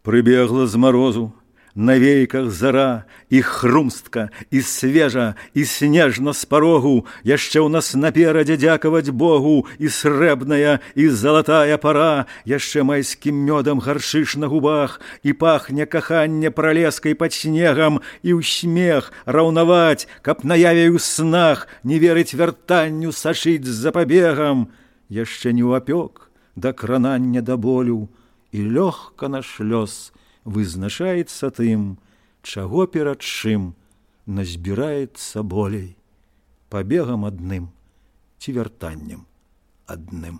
Прыбегла з марозу, на вейках зара, і хрумстка, і свежа, і снежна з парогу, яшчэ ў нас наперадзе дзякаваць Богу, і срэбная, і залатая пара, яшчэ майскім мёдам гаршыш на губах, і пахне каханне пралескай пад снегам, і ў смех раўнаваць, каб наяве ў снах не верыць вяртанню сашыць з запабегам, яшчэ не ў апёк да кранання да болю, і лёгка наш лёс вызначаецца тым, чаго перад чым назбіраецца болей, пабегам адным ці вяртаннем адным.